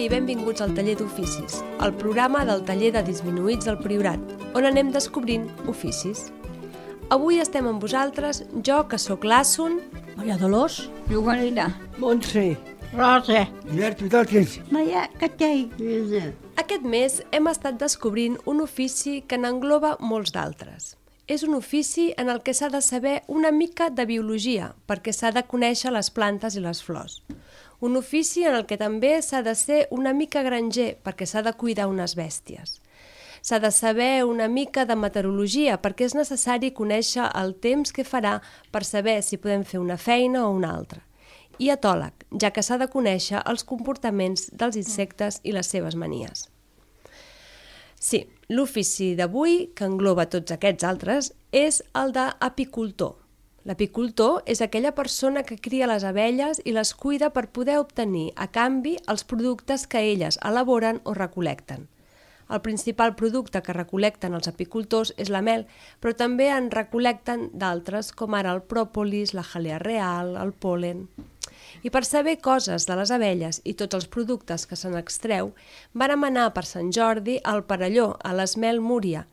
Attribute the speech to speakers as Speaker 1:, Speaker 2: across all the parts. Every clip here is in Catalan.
Speaker 1: i benvinguts al Taller d'Oficis, el programa del Taller de Disminuïts del Priorat, on anem descobrint oficis. Avui estem amb vosaltres, jo, que sóc l'Assun,
Speaker 2: Maria Dolors,
Speaker 3: Joanina,
Speaker 4: Montse,
Speaker 2: Rosa,
Speaker 4: Albert Pitalquins.
Speaker 2: Maria Catell.
Speaker 1: Aquest mes hem estat descobrint un ofici que n'engloba molts d'altres. És un ofici en el que s'ha de saber una mica de biologia, perquè s'ha de conèixer les plantes i les flors. Un ofici en el que també s'ha de ser una mica granger, perquè s'ha de cuidar unes bèsties. S'ha de saber una mica de meteorologia, perquè és necessari conèixer el temps que farà per saber si podem fer una feina o una altra. I etòleg, ja que s'ha de conèixer els comportaments dels insectes i les seves manies. Sí, l'ofici d'avui, que engloba tots aquests altres, és el d'apicultor. L'apicultor és aquella persona que cria les abelles i les cuida per poder obtenir, a canvi, els productes que elles elaboren o recol·lecten. El principal producte que recol·lecten els apicultors és la mel, però també en recol·lecten d'altres, com ara el pròpolis, la jalea real, el pol·len. I per saber coses de les abelles i tots els productes que se n'extreu, vàrem anar per Sant Jordi al Perelló, a l'Esmel Múria,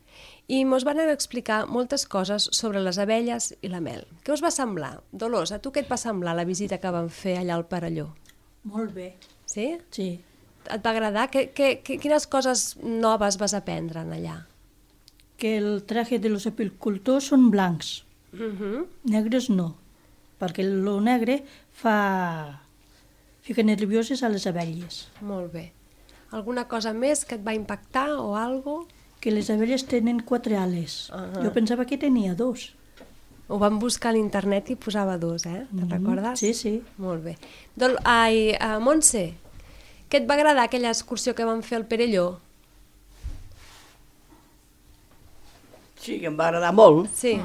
Speaker 1: i mos van explicar moltes coses sobre les abelles i la mel. Què us va semblar? Dolors, a tu què et va semblar la visita que vam fer allà al Perelló?
Speaker 2: Molt bé.
Speaker 1: Sí?
Speaker 2: Sí.
Speaker 1: Et va agradar? Quines coses noves vas aprendre allà?
Speaker 2: Que el traje de los apicultors són blancs, negres no, perquè el negre fica nervioses a les abelles.
Speaker 1: Molt bé. Alguna cosa més que et va impactar o algo?
Speaker 2: Que les abelles tenen 4 ales. Jo pensava que tenia 2.
Speaker 1: Ho vam buscar a l'internet i posava 2, Te'n recordes?
Speaker 2: Sí, sí.
Speaker 1: Molt bé. Montse, què et va agradar aquella excursió que vam fer al Perelló?
Speaker 4: Sí, que em va agradar molt.
Speaker 1: Sí.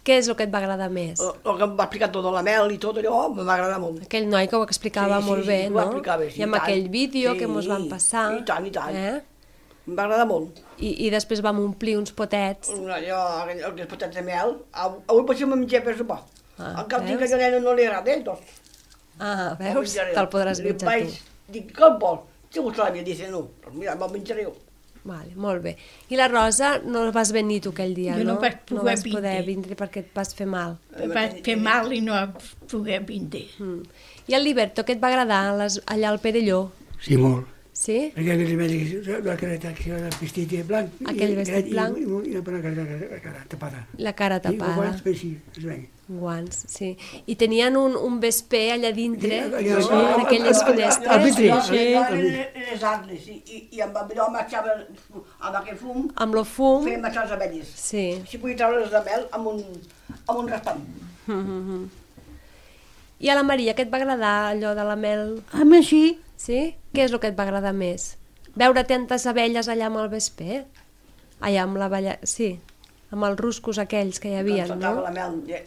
Speaker 1: Què és el que et va agradar més?
Speaker 4: El que em va explicar tot de la mel i tot allò, em va agradar molt.
Speaker 1: Aquell noi que ho explicava molt bé,
Speaker 4: ho
Speaker 1: no?
Speaker 4: explicava, sí,
Speaker 1: I amb
Speaker 4: tant.
Speaker 1: aquell vídeo que mos van passar.
Speaker 4: I tant, i tant. Em va agradar molt.
Speaker 1: I després vam omplir uns potets.
Speaker 4: Allò, aquells potets de mel, avui potser me'n menjaré per sopar.
Speaker 1: Ah,
Speaker 4: Encara dic
Speaker 1: veus?
Speaker 4: que a la nena no li agrada, doncs.
Speaker 1: Ah, veus? Te'l podràs menjar tu.
Speaker 4: Dic, què el vol? Si gust la mia, dice, no. Doncs mira, me'l menjaré jo.
Speaker 1: Vale, molt bé. I la Rosa, no vas venir tu aquell dia,
Speaker 3: Jo
Speaker 1: no?
Speaker 3: no vaig poder
Speaker 1: No vas poder
Speaker 3: vindre.
Speaker 1: vindre perquè et vas fer mal.
Speaker 3: em vaig fer mal i no poder vindre.
Speaker 1: I el Liberto, què et va agradar allà al Perelló?
Speaker 5: Sí, molt.
Speaker 1: Sí?
Speaker 5: Perquè aquell vestit blanc.
Speaker 1: Aquell vestit blanc.
Speaker 5: I la cara tapada.
Speaker 1: La cara tapada.
Speaker 5: Sí, es veia.
Speaker 1: Guants, sí. I tenien un vesper allà dintre,
Speaker 5: Sí,
Speaker 1: no?
Speaker 5: sí.
Speaker 1: En aquelles
Speaker 5: Al
Speaker 1: finestres.
Speaker 5: vidre.
Speaker 4: Les arnes, i amb allò marxava amb aquell fum,
Speaker 1: Amb lo fum.
Speaker 4: feien marxar les abelles.
Speaker 1: Sí.
Speaker 4: Si podia treure-les de mel amb un raspall.
Speaker 1: I a la Maria, què et va agradar allò de la mel?
Speaker 2: A mi sí.
Speaker 1: Sí? Què és el que et va agradar més? Veure tantes abelles allà amb el vesper? Allà amb l'abella... Sí, amb els ruscos aquells que hi havia,
Speaker 4: Doncs saltava
Speaker 1: no?
Speaker 4: la mel de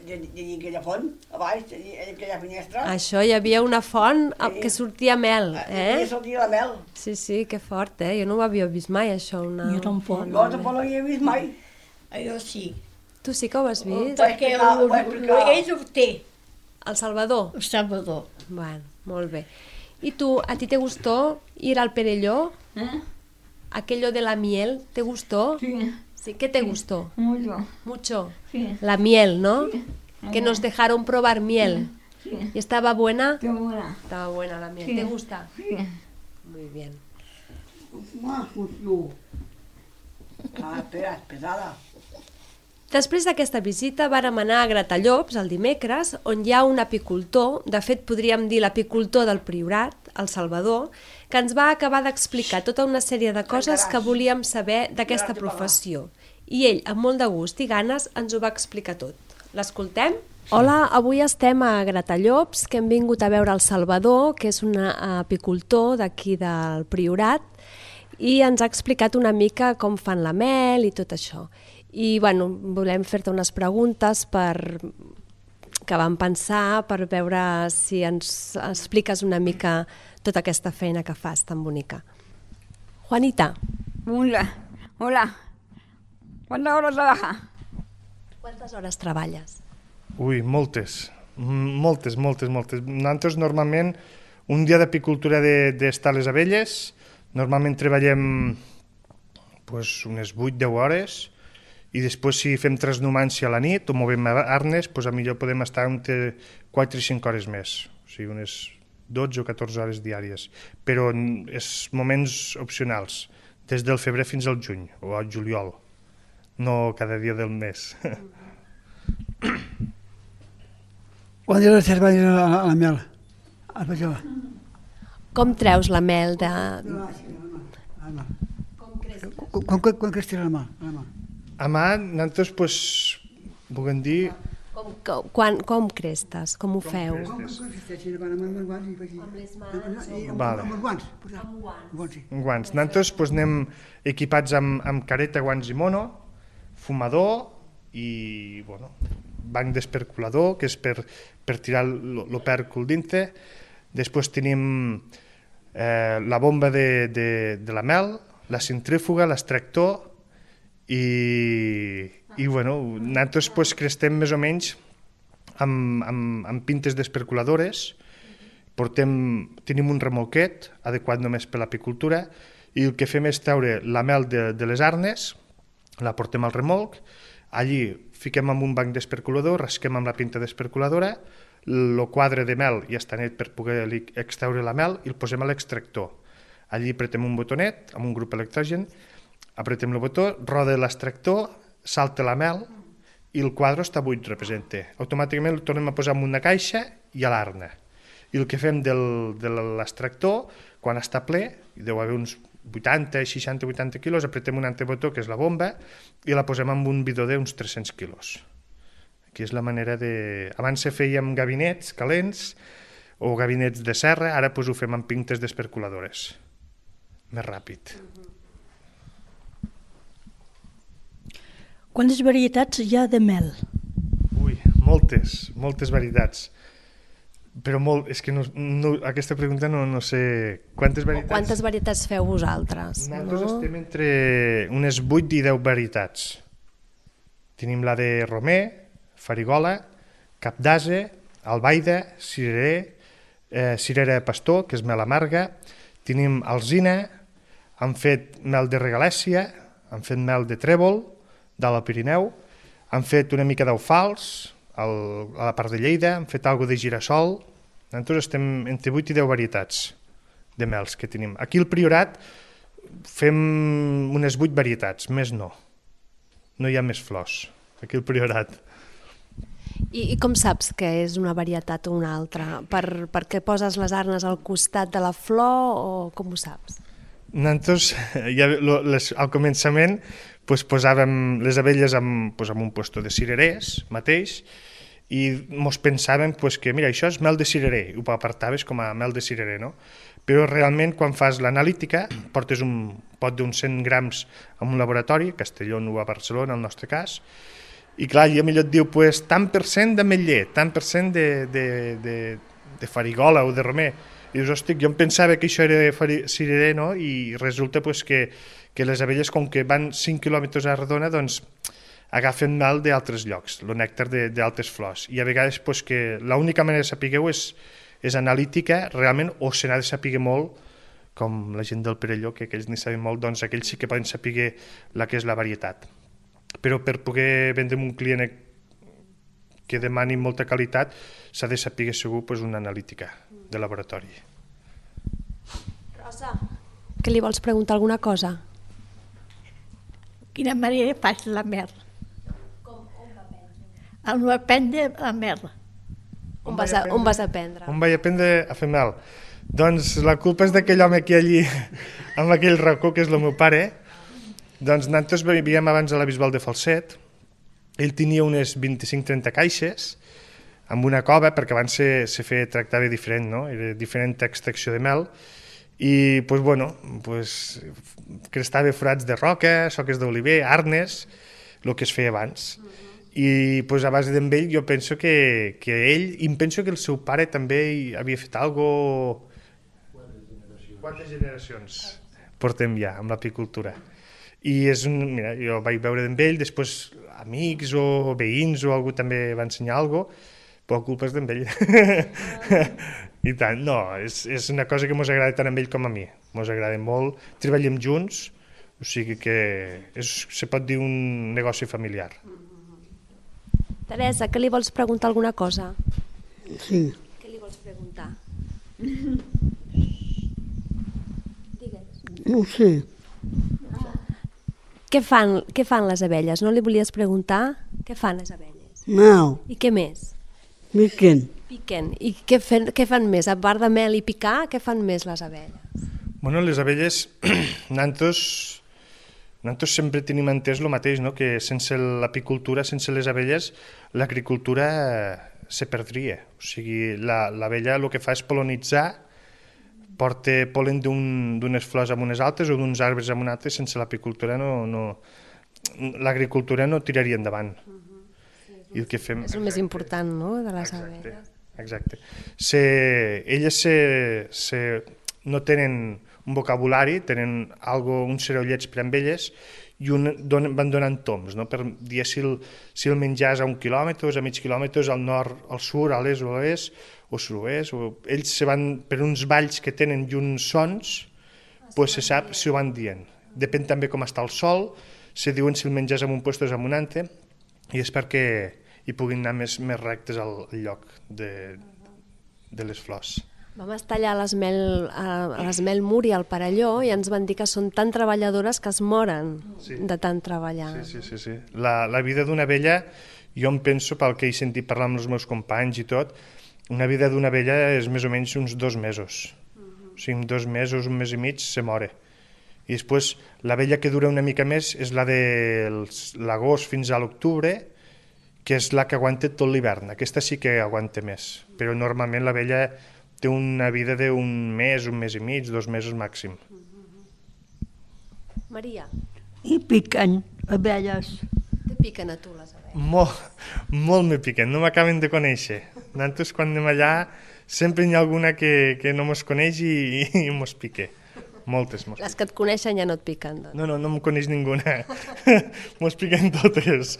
Speaker 4: aquella font, a baix, aquella finestra.
Speaker 1: Això, hi havia una font que sortia mel,
Speaker 4: I sortia la mel.
Speaker 1: Sí, sí, que fort, Jo no ho havia vist mai, això, una...
Speaker 2: Jo tampoc.
Speaker 4: Jo tampoc no havia vist mai.
Speaker 3: Jo sí,
Speaker 1: Tu sí que ho has vist?
Speaker 3: perquè ell ho té,
Speaker 1: El Salvador?
Speaker 3: el Salvador.
Speaker 1: Bueno, molt bé. ¿Y tú, a ti te gustó ir al Perelló? Aquello de la miel, ¿te gustó?
Speaker 3: Sí,
Speaker 1: Sí, ¿qué te gustó?
Speaker 3: mucho.
Speaker 1: Mucho.
Speaker 3: Sí.
Speaker 1: La miel, ¿no? Que nos dejaron probar miel.
Speaker 3: Sí,
Speaker 1: ¿Y estaba buena?
Speaker 3: qué buena.
Speaker 1: Estaba buena la miel.
Speaker 3: Sí.
Speaker 1: ¿Te gusta?
Speaker 3: Sí.
Speaker 1: Muy bien.
Speaker 4: Espera, pesada.
Speaker 1: Després d'aquesta visita vàrem anar a Gratallops el dimecres, on hi ha un apicultor, de fet podríem dir l'apicultor del Priorat, el Salvador, que ens va acabar d'explicar tota una sèrie de coses que volíem saber d'aquesta professió. I ell, amb molt de gust i ganes, ens ho va explicar tot. L'escoltem? Hola, avui estem a Gratallops, que hem vingut a veure el Salvador, que és un apicultor d'aquí del Priorat, i ens ha explicat una mica com fan la mel i tot això. I bueno, volem fer-te unes preguntes que vam pensar per veure si ens expliques una mica tota aquesta feina que fas tan bonica. Juanita.
Speaker 3: Hola, hola. ¿Cuántas horas trabaja?
Speaker 1: Quantes hores treballes?
Speaker 6: Ui, moltes. Nosaltres normalment Un dia d'apicultura d'estar les abelles, normalment treballem pues, unes 8-10 hores, i després si fem transnumància a la nit o movem arnes, pues, a millor podem estar entre 4 i 5 hores més, o sigui, unes 12 o 14 hores diàries, però és moments opcionals, des del febrer fins al juny o al juliol, no cada dia del mes.
Speaker 5: Quan era les cervalles a la mel? A la
Speaker 1: Com treus la mel de...
Speaker 5: Quan creus tirar la mà?
Speaker 6: A mà, nosaltres, pues, puguem dir...
Speaker 1: Com crestes? Com ho feu?
Speaker 5: Amb les mans?
Speaker 6: Vale.
Speaker 5: Amb guants. Amb guants, sí.
Speaker 6: Guants. Nosaltres pues, anem equipats amb careta, guants i mono, fumador i bueno, banc d'esperculador, que és per tirar l'opèrcul dintre. Després tenim la bomba de la mel, la centrífuga, l'extractor i bueno, nosaltres pues, crestem més o menys amb pintes d'esperculadores, tenim un remolquet adequat només per l'apicultura i el que fem és treure la mel de les arnes, la portem al remolc, allí fiquem amb un banc d'esperculador, rasquem amb la pinta d'esperculadora, el quadre de mel ja està net per poder extreure la mel i el posem a l'extractor. Allí apretem un botonet amb un grup electrogen, apretem el botó, roda l'extractor, salta la mel i el quadre està buit, representa. Automàticament el tornem a posar en una caixa i a l'arna. I el que fem de l'extractor, quan està ple, hi deu haver uns 80, 60, 80 quilos, apretem un altre botó, que és la bomba, i la posem en un bidó d'uns 300 quilos. Aquí és la manera de... Abans se feia amb gabinets calents o gabinets de serra, ara pues, ho fem amb pintes d'esperculadores. Més ràpid.
Speaker 2: Quantes varietats hi ha de mel?
Speaker 6: Ui, moltes varietats. Però és que aquesta pregunta no sé... Quantes
Speaker 1: varietats feu vosaltres?
Speaker 6: Nosaltres estem entre unes 8 i 10 varietats. Tenim la de romer, farigola, cap d'ase, albaida, cirerer, cirera pastor, que és mel amarga, tenim alzina, han fet mel de regalèssia, han fet mel de trèvol, de la Pirineu, han fet una mica d'eufals a la part de Lleida, han fet alguna de girassol. Nosaltres estem entre 8 i 10 varietats de mels que tenim. Aquí al Priorat fem unes 8 varietats, més no. No hi ha més flors, aquí al Priorat.
Speaker 1: I com saps que és una varietat o una altra? Per què poses les arnes al costat de la flor o com ho saps?
Speaker 6: Nosaltres, al començament, posàvem les abelles en un puesto de cirerers mateix i mos pensàvem que mira, això és mel de cirerer, ho apartaves com a mel de cirerer, no? Però realment quan fas l'analítica portes un pot d'uns 100 grams a un laboratori, a Castelló o a Barcelona, en el nostre cas, i clar, allà millor et diu tant per cent d'ametller, tant per cent de farigola o de romer. I dius, hosti, jo em pensava que això era cirerer, no? I resulta que les abelles, com que van 5 quilòmetres a redona, doncs agafen mel d'altres llocs, el nèctar d'altres flors. I a vegades que l'única manera de saber-ho és analítica, realment, o se n'ha de saber molt, com la gent del Perelló, que aquells n'hi saben molt, doncs aquells sí que poden saber la que és la varietat. Però per poder vendre un client que demani molta qualitat, s'ha de saber segur una analítica de laboratori.
Speaker 1: Rosa, que li vols preguntar alguna cosa?
Speaker 3: Quina manera fas la mel?
Speaker 1: Com va aprendre?
Speaker 3: On va aprendre la mel?
Speaker 1: On vas aprendre?
Speaker 6: On vaig aprendre a fer mel? Doncs la culpa és d'aquell home que allí, amb aquell racó, que és el meu pare. Doncs nosaltres vivíem abans a la Bisbal de Falset. Ell tenia unes 25-30 caixes amb una cova, perquè abans se tractava diferent, no? Era diferent extracció de mel. I, crestava forats de roca, soques d'oliver, arnes, el que es feia abans. I a base d'en ell jo penso que ell, i penso que el seu pare també havia fet alguna cosa... 4 generacions portem ja amb l'apicultura. I mira, jo vaig veure d'en ell, després amics o veïns o algú també va ensenyar alguna cosa, Però culpa és d'ell. I tant, no, és una cosa que mos agrada tant a ell com a mi. Mos agrada molt, treballem junts, o sigui que se pot dir un negoci familiar.
Speaker 1: Teresa, que li vols preguntar alguna cosa?
Speaker 5: Sí.
Speaker 1: Què li vols preguntar? Digues.
Speaker 5: No ho sé.
Speaker 1: Què fan les abelles? No li volies preguntar? Què fan les abelles?
Speaker 5: No,
Speaker 1: I què més?
Speaker 5: miquen.
Speaker 1: Piquen. I què fan més? A part de mel i picar, què fan més les abelles?
Speaker 6: Bueno, les abelles, nosaltres sempre tenim entès el mateix, no? Que sense l'apicultura, sense les abelles, l'agricultura se perdria. O sigui, l'abella el que fa és polonitzar, porta polen d'unes flors amb unes altres o d'uns arbres amb un altre, sense l'apicultura l'agricultura no tiraria endavant. I el que fem...
Speaker 1: És el més important, no?, de les abelles.
Speaker 6: Exacte. Elles no tenen un vocabulari, tenen uns cerollets per amb elles i van donant toms, no? Per dir si el menjar és a 1 quilòmetre, a mig quilòmetre, al nord, al sud, a l'est o a l'est, o sud-oest. Ells se van per uns balls que tenen i uns sons, pues se sap si ho van dient. Depèn també com està el sol, se diuen si el menjar és en un lloc o és en un altre, i és perquè hi puguin anar més rectes al lloc de les flors.
Speaker 1: Vam estar allà a l'Esmel Muri, al Perelló, i ens van dir que són tan treballadores que es moren de tant treballar.
Speaker 6: Sí. La vida d'una abella, jo em penso, pel que he sentit parlar amb els meus companys i tot, una vida d'una abella és més o menys uns 2 mesos. O sigui, en 2 mesos, 1 mes i mig, se mora. I després, l'abella que dura una mica més és la de l'agost fins a l'octubre, que és la que aguanta tot l'hivern. Aquesta sí que aguanta més, però normalment l'abella té una vida d'un mes, 1 mes i mig, 2 mesos màxim.
Speaker 1: Maria,
Speaker 2: I piquen abelles.
Speaker 1: què piquen a tu les abelles?
Speaker 6: Molt me piquen, no m'acaben de conèixer. Nosaltres quan anem allà sempre hi ha alguna que no mos coneix i mos pique. Moltes mos piquen.
Speaker 1: Les que et coneixen ja no et piquen, doncs.
Speaker 6: No em coneix ninguna. Mos piquen totes.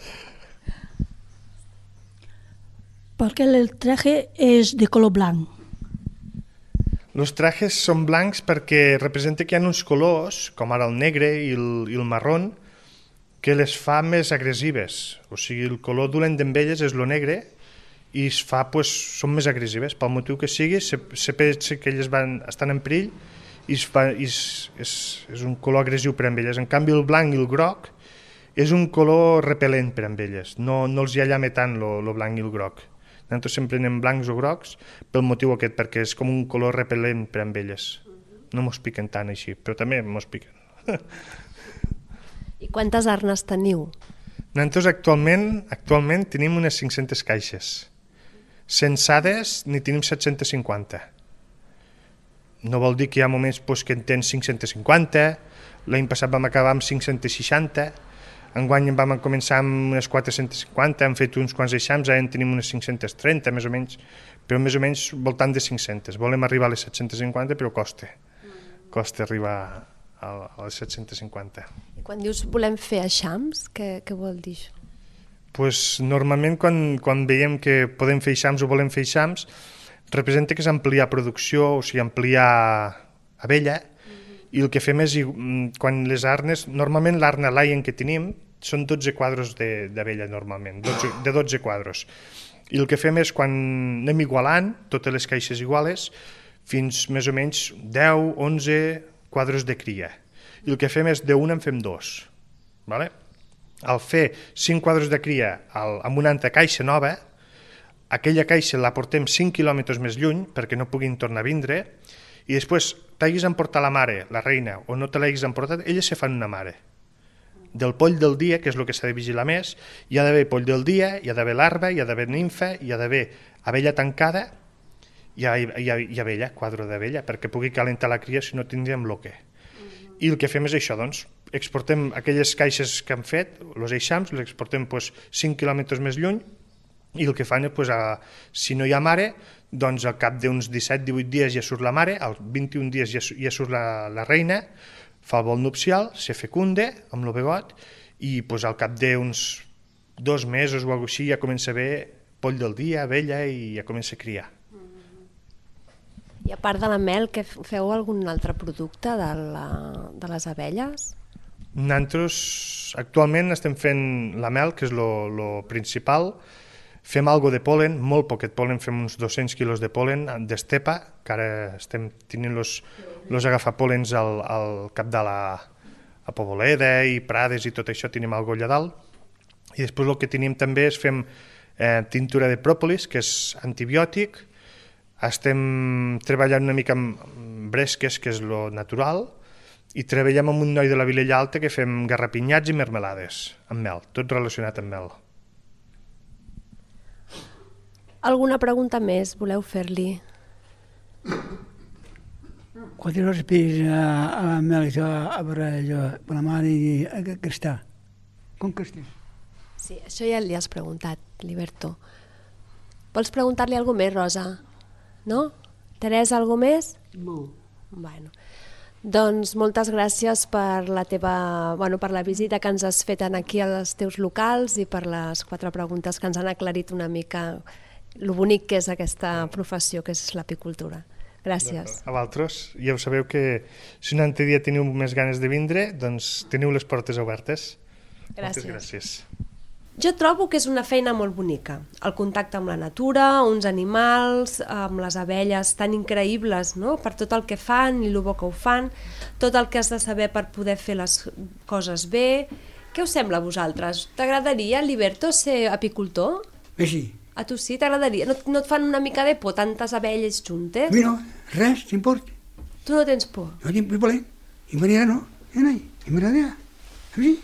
Speaker 2: Porque el traje es de color blanc.
Speaker 6: Els trajes són blancs perquè representa que hi ha uns colors, com ara el negre i el marró, que les fa més agressives. O sigui, el color dolent d'elles és el negre i són més agressives. Pel motiu que sigui, se pensa que elles estan en perill i és un color agressiu per a elles. En canvi, el blanc i el groc és un color repel·lent per a elles. No els hi allama tant el blanc i el groc. Nosaltres sempre anem blancs o grocs pel motiu aquest, perquè és com un color repel·lent per a elles. No mos piquen tant així, però també mos piquen.
Speaker 1: I quantes arnes teniu?
Speaker 6: Nosaltres actualment tenim unes 500 caixes. Censades n'hi tenim 750. No vol dir que hi ha moments que en tens 550, l'any passat vam acabar amb 560, enguany vam començar amb unes 450, hem fet uns quants eixams, ara en tenim unes 530 més o menys, però més o menys voltant de 500. Volem arribar a les 750, però costa arribar a les 750.
Speaker 1: I quan dius volem fer eixams, què vol dir això?
Speaker 6: Pues, normalment quan veiem que podem fer eixams o volem fer eixams, representa que és ampliar producció, o sigui, ampliar abella, i el que fem és, quan les arnes, normalment l'arna Lion que tenim són 12 quadros d'abella normalment, de 12 quadros. I el que fem és, quan anem igualant, totes les caixes iguales, fins més o menys 10, 11 quadros de cria. I el que fem és, d'un en fem 2. Vale? Al fer 5 quadros de cria amb una altra caixa nova, aquella caixa la portem 5 quilòmetres més lluny perquè no puguin tornar a vindre, i després t'haguis emportat la mare, la reina, o no te l'haguis emportat, elles se fan una mare. Del poll del dia, que és el que s'ha de vigilar més, hi ha d'haver poll del dia, hi ha d'haver larva, hi ha d'haver nimfa, hi ha d'haver abella tancada i abella, quadre d'abella, perquè pugui calentar la cria, si no tindríem bloque. I el que fem és això, doncs, exportem aquelles caixes que han fet, els eixams, les exportem 5 quilòmetres més lluny, i el que fan és, si no hi ha mare, doncs al cap d'uns 17-18 dies ja surt la mare, als 21 dies ja surt la reina, fa el vol nupcial, se fecunde amb el begot, i al cap d'uns 2 mesos o alguna cosa així ja comença a haver poll del dia, abella, i ja comença a criar.
Speaker 1: I a part de la mel, que feu algun altre producte de les abelles?
Speaker 6: Nosaltres actualment estem fent la mel, que és lo principal. Fem algo de polen, molt poquet polen, fem uns 200 quilos de polen d'estepa, que ara estem tenint los agafapolens al cap de a Poboleda i Prades i tot això, tenim algo allà dalt. I després el que tenim també és fem tintura de pròpolis, que és antibiòtic. Estem treballant una mica amb bresques, que és lo natural, i treballem amb un noi de la Vilella Alta que fem garrapinyats i mermelades amb mel, tot relacionat amb mel.
Speaker 1: Alguna pregunta més voleu fer-li?
Speaker 5: Quantes hores pis a la mel a veure allò, per la mare i que està? Com que estàs?
Speaker 1: Sí, això ja li has preguntat, Liberto. Vols preguntar-li alguna més, Rosa? No? Teresa, alguna més?
Speaker 4: No.
Speaker 1: Bueno, doncs moltes gràcies per per la visita que ens has fet aquí als teus locals i per les 4 preguntes que ens han aclarit una mica lo bonic que és aquesta professió, que és l'apicultura. Gràcies.
Speaker 6: A vosaltres, ja ho sabeu que si un altre dia teniu més ganes de vindre, doncs teniu les portes obertes.
Speaker 1: Gràcies.
Speaker 6: Moltes gràcies.
Speaker 1: Jo trobo que és una feina molt bonica. El contacte amb la natura, uns animals, amb les abelles tan increïbles, no? Per tot el que fan i el bo que ho fan, tot el que has de saber per poder fer les coses bé. Què us sembla a vosaltres? T'agradaria, Liberto, ser apicultor?
Speaker 5: Bé, sí.
Speaker 1: A tu sí, t'agradaria? No et fan una mica de por tantes abelles juntes?
Speaker 5: A mi no, res, t'importa.
Speaker 1: Tu no tens por?
Speaker 5: No tinc por, i Maria no, i m'agradaria. A mi sí.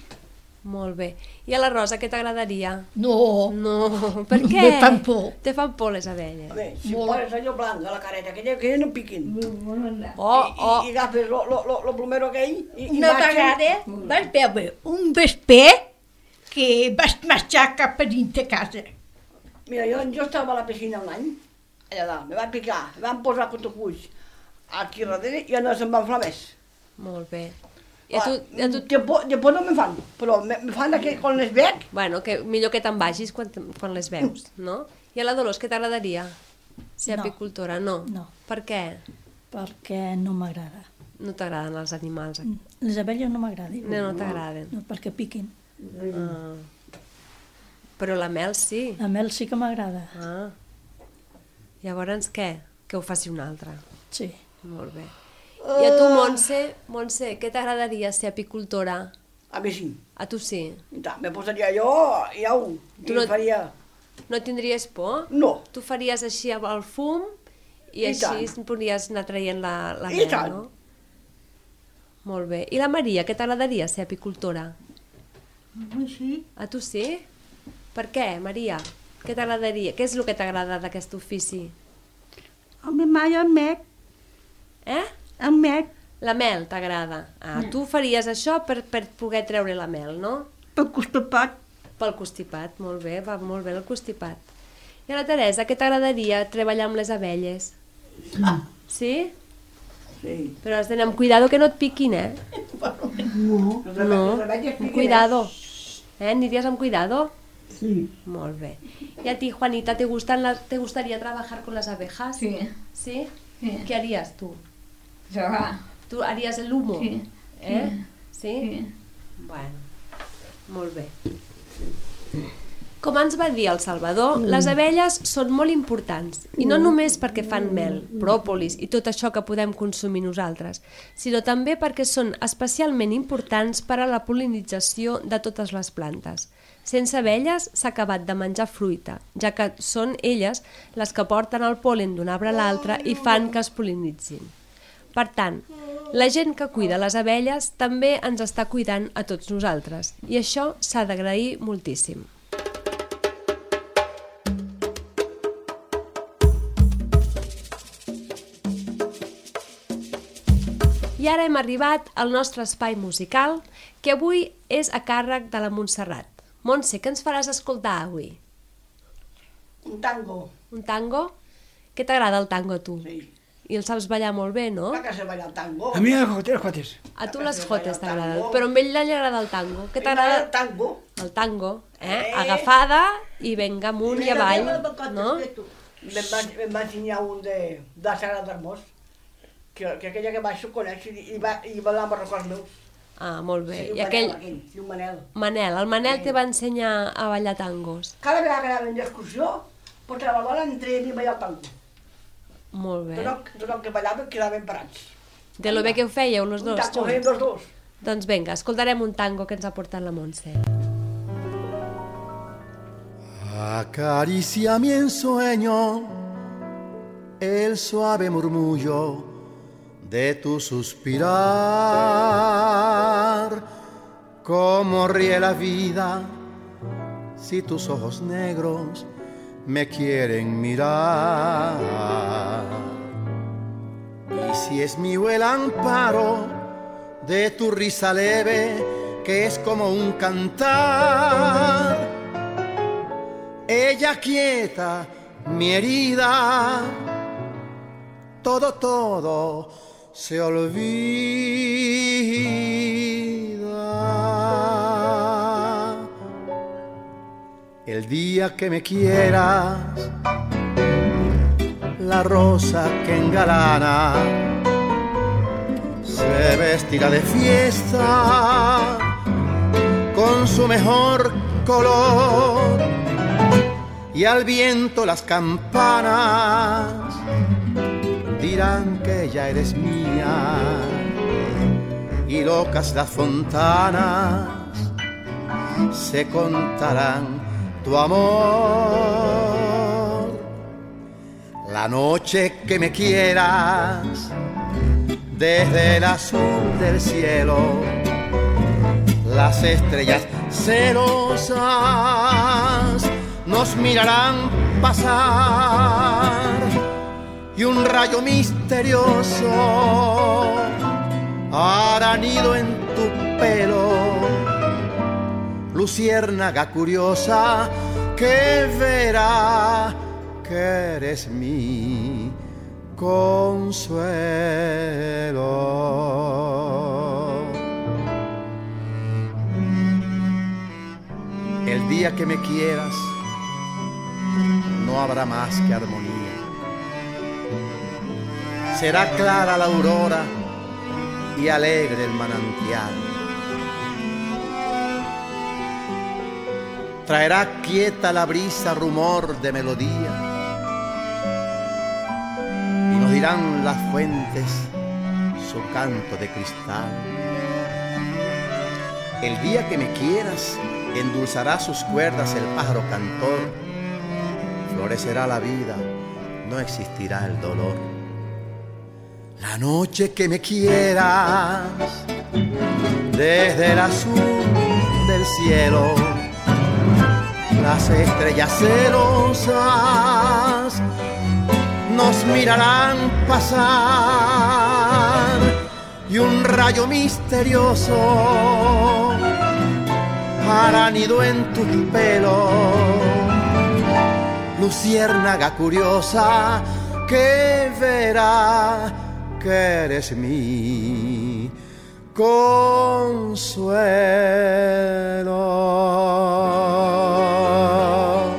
Speaker 1: Molt bé. I a la Rosa, què t'agradaria?
Speaker 3: No,
Speaker 1: No, per què?
Speaker 3: me fan por.
Speaker 1: Te fan por les abelles.
Speaker 4: A veure, si poses allò blanc a la careta, que no piquin. I agafes lo plomero aquell i
Speaker 3: Una vegada vaig veure un vesper que vaig marxar cap a dins de casa.
Speaker 4: Mira, jo estava a la piscina un any, allà dalt, me va picar, me van posar cotopuix aquí darrere i ja no se'n van fer més.
Speaker 1: Molt bé. I a tu...
Speaker 4: De por no me fan, però me fan aquell quan les veig.
Speaker 1: Bueno, que millor que te'n vagis quan les veus, no? I a la Dolors, què t'agradaria? Ser
Speaker 2: No.
Speaker 1: apicultora? No.
Speaker 2: No.
Speaker 1: Per què?
Speaker 2: Perquè no m'agrada.
Speaker 1: No t'agraden els animals?
Speaker 2: Les abelles no m'agraden.
Speaker 1: No t'agraden.
Speaker 2: No, perquè piquen.
Speaker 1: Ah. Però la mel sí.
Speaker 2: La mel sí que m'agrada.
Speaker 1: Ah. Llavors què? Que ho faci un altre.
Speaker 2: Sí.
Speaker 1: Molt bé. I a tu, Montse, què t'agradaria ser apicultora?
Speaker 4: A mi sí.
Speaker 1: A tu sí.
Speaker 4: I tant, me posaria jo i au,
Speaker 1: Tu
Speaker 4: i
Speaker 1: no-
Speaker 4: faria...
Speaker 1: No tindries por?
Speaker 4: No.
Speaker 1: Tu faries així amb el fum i
Speaker 4: I
Speaker 1: així
Speaker 4: tant.
Speaker 1: podries anar traient la
Speaker 4: I
Speaker 1: mel,
Speaker 4: tant.
Speaker 1: no? Molt bé. I la Maria, què t'agradaria ser apicultora?
Speaker 3: Sí.
Speaker 1: A tu sí? Per què, Maria? Què t'agradaria? Què és el que t'agrada d'aquest ofici?
Speaker 3: A mi mai el met,
Speaker 1: Eh?
Speaker 3: el met,
Speaker 1: La mel t'agrada. Ah, tu faries això per poder treure la mel, no?
Speaker 3: per constipat.
Speaker 1: Pel constipat, molt bé, va molt bé el constipat. I a la Teresa, què t'agradaria treballar amb les abelles? Sí?
Speaker 4: Sí.
Speaker 1: Però has d'anar amb cuidado que no et piquin, eh?
Speaker 4: No.
Speaker 1: Amb cuidado. ¿Anirías amb cuidado?
Speaker 3: Sí.
Speaker 1: Molt bé. ¿Y a ti, Juanita, te gustaría trabajar con las abejas?
Speaker 3: Sí.
Speaker 1: ¿Sí?
Speaker 3: Sí.
Speaker 1: ¿Qué harías tú?
Speaker 3: Trabajar.
Speaker 1: ¿Tú harías el humo?
Speaker 3: Sí.
Speaker 1: ¿Eh? ¿Sí?
Speaker 3: Sí.
Speaker 1: Bueno, molt bé. Com ens va dir el Salvador, les abelles són molt importants, i no només perquè fan mel, pròpolis i tot això que podem consumir nosaltres, sinó també perquè són especialment importants per a la pol·linització de totes les plantes. Sense abelles s'ha acabat de menjar fruita, ja que són elles les que porten el pol·len d'un arbre a l'altre i fan que es pol·linitzin. Per tant, la gent que cuida les abelles també ens està cuidant a tots nosaltres, i això s'ha d'agrair moltíssim. I ara hem arribat al nostre espai musical, que avui és a càrrec de la Montserrat. Montse, què ens faràs escoltar avui?
Speaker 4: Un tango.
Speaker 1: Un tango? Què t'agrada el tango a tu?
Speaker 4: Sí.
Speaker 1: I el saps ballar molt bé, no?
Speaker 4: La que se balla el tango.
Speaker 5: A mi els jotes.
Speaker 1: A tu
Speaker 4: La
Speaker 1: les
Speaker 4: que
Speaker 1: jotes
Speaker 4: balla el
Speaker 1: t'agraden,
Speaker 4: tango.
Speaker 1: però a ell li agrada el tango. Què
Speaker 4: El
Speaker 1: t'agrada?
Speaker 4: tango.
Speaker 1: El tango, agafada i venga amunt i avall, no?
Speaker 4: Me'n va ensenyar un de Sagrat d'Hermós, que aquella que baixo coneix i va ballar amb els records meus.
Speaker 1: Ah, molt bé.
Speaker 4: Sí,
Speaker 1: I aquell...
Speaker 4: Sí, un Manel.
Speaker 1: Manel, el Manel te va ensenyar a ballar tangos.
Speaker 4: Cada vegada que anàvem d'excursió, portava la bola entre ell i ballar el tango.
Speaker 1: Molt bé.
Speaker 4: Tot el que ballàvem quedaven parats.
Speaker 1: De lo bé que ho fèieu, los dos,
Speaker 4: Ho fèiem
Speaker 1: junts.
Speaker 4: els dos.
Speaker 1: Doncs vinga, escoltarem un tango que ens ha portat la Montse.
Speaker 7: Acaricia mi ensueño el suave murmullo de tu suspirar. Cómo ríe la vida si tus ojos negros me quieren mirar. Y si es mío el amparo de tu risa leve, que es como un cantar, ella quieta mi herida, todo se olvida. El día que me quieras, la rosa que engalana se vestirá de fiesta con su mejor color, y al viento las campanas dirán que ya eres mía, y locas las fontanas se contarán tu amor. La noche que me quieras, desde el azul del cielo, las estrellas celosas nos mirarán pasar, y un rayo misterioso hará nido en tu pelo, luciérnaga curiosa que verá que eres mi consuelo. El día que me quieras, no habrá más que armonía. Será clara la aurora y alegre el manantial. Traerá quieta la brisa rumor de melodía, y nos dirán las fuentes su canto de cristal. El día que me quieras, endulzará sus cuerdas el pájaro cantor, florecerá la vida, no existirá el dolor. La noche que me quieras, desde el azul del cielo, las estrellas celosas nos mirarán pasar, y un rayo misterioso hará nido en tu pelo, luciérnaga curiosa que verá que eres mi consuelo.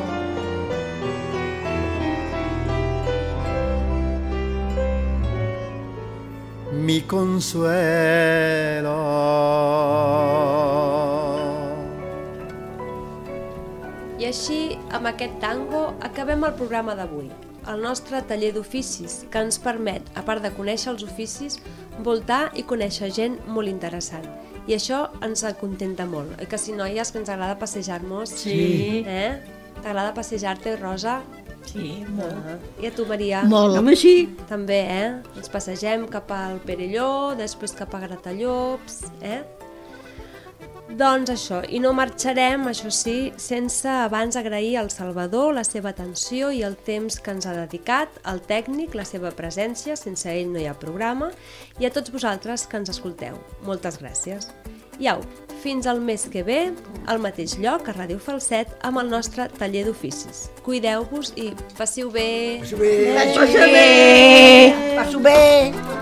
Speaker 7: Mi consuelo.
Speaker 1: I així, amb aquest tango, acabem el programa d'avui. El nostre taller d'oficis, que ens permet, a part de conèixer els oficis, voltar i conèixer gent molt interessant. I això ens contenta molt. Oi que sí, noies, que ens agrada passejar-nos?
Speaker 2: Sí.
Speaker 1: T'agrada passejar-te, Rosa?
Speaker 2: Sí, molt.
Speaker 1: I a tu, Maria?
Speaker 2: Molt, home, sí.
Speaker 1: També, Ens passegem cap al Perelló, després cap a Gratallops, Doncs això, i no marxarem, això sí, sense abans agrair al Salvador la seva atenció i el temps que ens ha dedicat, al tècnic, la seva presència, sense ell no hi ha programa, i a tots vosaltres que ens escolteu. Moltes gràcies. I au, fins al mes que ve, al mateix lloc, a Ràdio Falset, amb el nostre taller d'oficis. Cuideu-vos i passiu bé!
Speaker 4: Passo bé! Passo bé!